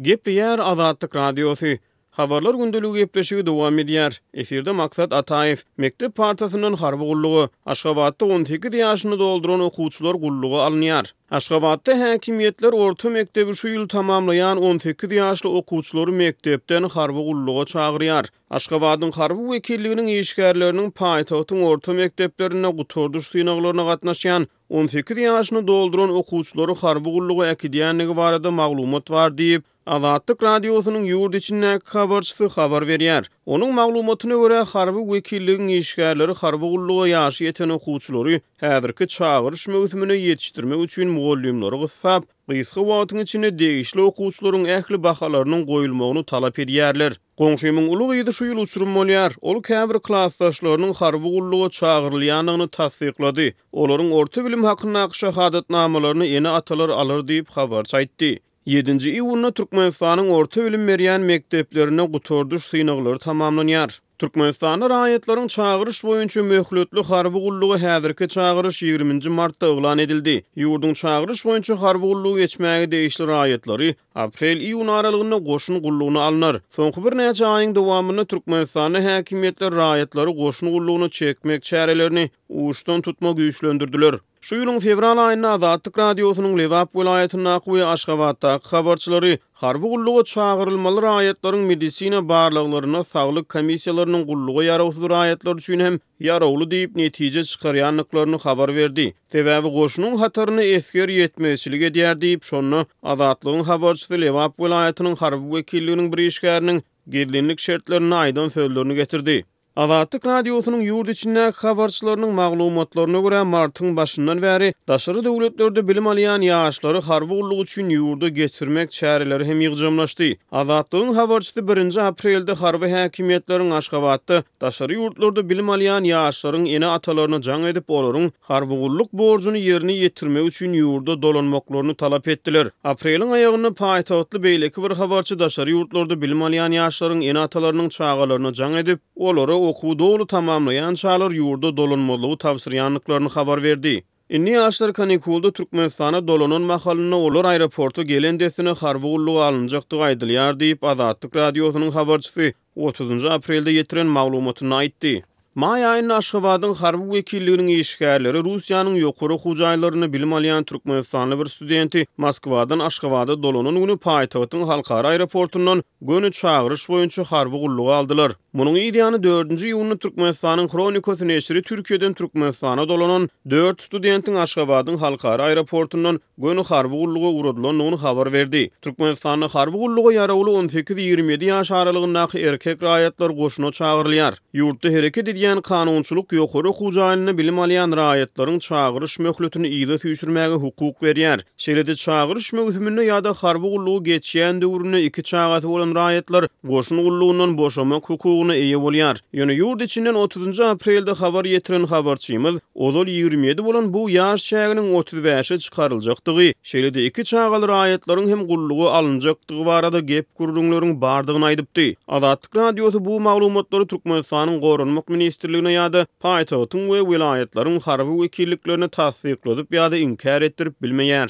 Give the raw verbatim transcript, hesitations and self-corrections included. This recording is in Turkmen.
Gepleýär Azatlyk Radiosy. Habarlar gündeligi gepleşigi dowam edýär. Efirde Maksat Ataýew. Mekdep partasyndan harby gulluga, Aşgabatda on sekiz ýaşyny dolduran okuwçylar gulluga alynýar. Aşgabatda häkimiýetler orta mekdebi şu ýyl tamamlaýan on sekiz ýaşly okuwçylary mekdepden harby gulluga çagyrýar. Aşgabadyň harby wekilliginiň işgärleriniň paýtagtyň orta mekdeplerinde gutardyş synaglaryna gatnaşýan on sekiz ýaşyny dolduran okuwçylary harby gulluga äkidýändigi barada maglumat bar diýip, Azatlyk Radiosynyň ýurt içindäki habarçysy habar berýär. Onuň maglumatyna görä, harby wekilligiň işgärleri harby gulluga ýaşy ýeten okuwçylary häzirki çagyryş möwsümine ýetişdirmek üçin mugallymlary gyssap, gysga wagtyň içinde degişli okuwçylaryň ähli bahalarynyň goýulmagyny talap edýärler. Goňşymyň uly gyzy şu ýyl uçurum bolýar. Ol käbir klasdaşlarynyň harby gulluga çagyrylýandygyny tassyklady. Olaryň orta bilim hakyndaky şahadatnamalaryny ene-atalar alar diýip habarçy aýtdy. Ýedinji iýunda Türkmenistanyň orta bilim berýän mekdeplerinde gutardyş synaglary tamamlanýar. Türkmenistanda raýatlaryň çagyryş boýunça möhletli harby gullugy häzirki çagyryş ýigriminji martda yglan edildi. Ýurduň çagyryş boýunça harby gullugy geçmäge degişli raýatlary aprel-iýun aralygynda goşun gullugyna alnar. Soňky birnäçe aýyň dowamynda Türkmenistanda häkimiýetler raýatlary goşun gullugyna çekmek çärelerini uçdan tutma güýçlendirdiler. Şu ýylyň fewral aýynda Azatlyk Radiosynyň Lebap welaýatyndaky we Aşgabatdaky habarçylary harby gulluga çagyrylmaly raýatlaryň medisina barlaglaryna saglyk komissiýalarynyň gulluga ýarawsyz raýatlar üçin hem ýarawly diýip netije çykarýandyklaryny habar berdi. Sebäbi goşunyň hataryna esger ýetmezçilik edýär diýip, şonda Azatlygyň habarçysy Lebap welaýatynyň harby wekilliginiň bir işgäriniň gizlinlik şertlerinde aýdan sözlerini getirdi. Azatlyk Radiosynyň ýurt içindäki habarçylarynyň maglumatlaryna görä, martyň başyndan bäri daşary döwletlerde bilim alýan ýaşlary harby gulluk üçin ýurda getirmek çäreleri hem ýygjamlaşdy. Azatlygyň habarçysy birinji aprelde harby häkimiýetleriň Aşgabatda daşary ýurtlarda bilim alýan ýaşlaryň ene-atalaryna jaň edip, olaryň harby gulluk borjuny ýerine ýetirmek üçin ýurda dolanmaklaryny talap etdiler. Apreliň aýagynda paýtagtly beýleki bir habarçy daşary ýurtlarda bilim alýan ýaşlaryň ene-atalarynyň çagalaryna jaň edip, olara okuwy doly tamamlaýan çalar ýurda dolanmazlygy tabşyrýandyklaryny habar berdi. Indi ýaşlar kanikulda Türkmenistana dolanan mahalynda olar aeroporta gelen dessine harby gulluga alynjakdygy aýdylýar diýip, Azatlyk Radiosynyň habarçysy otuzynjy aprelde ýetiren maglumatynda aýtdy. Maý aýynda Aşgabadyň harby wekilliginiň işgärleri Russiýanyň ýokary okuw jaýlarynda bilim alýan türkmenistanly bir studenti Moskwadan Aşgabada dolanan güni paýtagtyň halkara aeroportundan göni çagyryş boýunça harby gulluga aldylar. Munuň yz ýany dördünji iýunda Türkmenistanyň Hronikasy neşiri Türkiýeden Türkmenistana dolanan dört studentiň Aşgabadyň halkara aeroportundan göni harby gulluga ugradylandygyny habar berdi. Türkmenistanda harby gulluga ýarawly on sekiz ýigrimi ýedi ýaş aralygyndaky erkek raýatlar goşuna çagyrylýar. Ýurtda hereket edýän kanunçylyk ýokary okuw jaýynda bilim alýan raýatlaryň çagyryş möhletini yza süýşürmäge hukuk berýär. Şeýle-de çagyryş möwsüminde ýa-da harby gullugy geçýän döwründe iki çagasy bolan raýatlar goşun gullugyndan boşamak hukugyna eýe bolýar. Ýöne ýurt içinden otuzynjy aprelde habar ýetiren habarçymyz ozal ýigrimi ýedi bolan bu ýaş çäginiň otuz bäşe çykaryljakdygy, şeýle-de iki çagaly raýatlaryň hem gulluga alynjakdygy barada gep gürrüňleriň bardygyny aýdypdy. Azatlyk Radiosy bu maglumatlary Türkmenistanyň Goranmak ministrligine ýa-da paýtagtyň we welaýatlaryň harby wekilliklerine tassykladyp ýa-da inkär etdirip bilmeýär.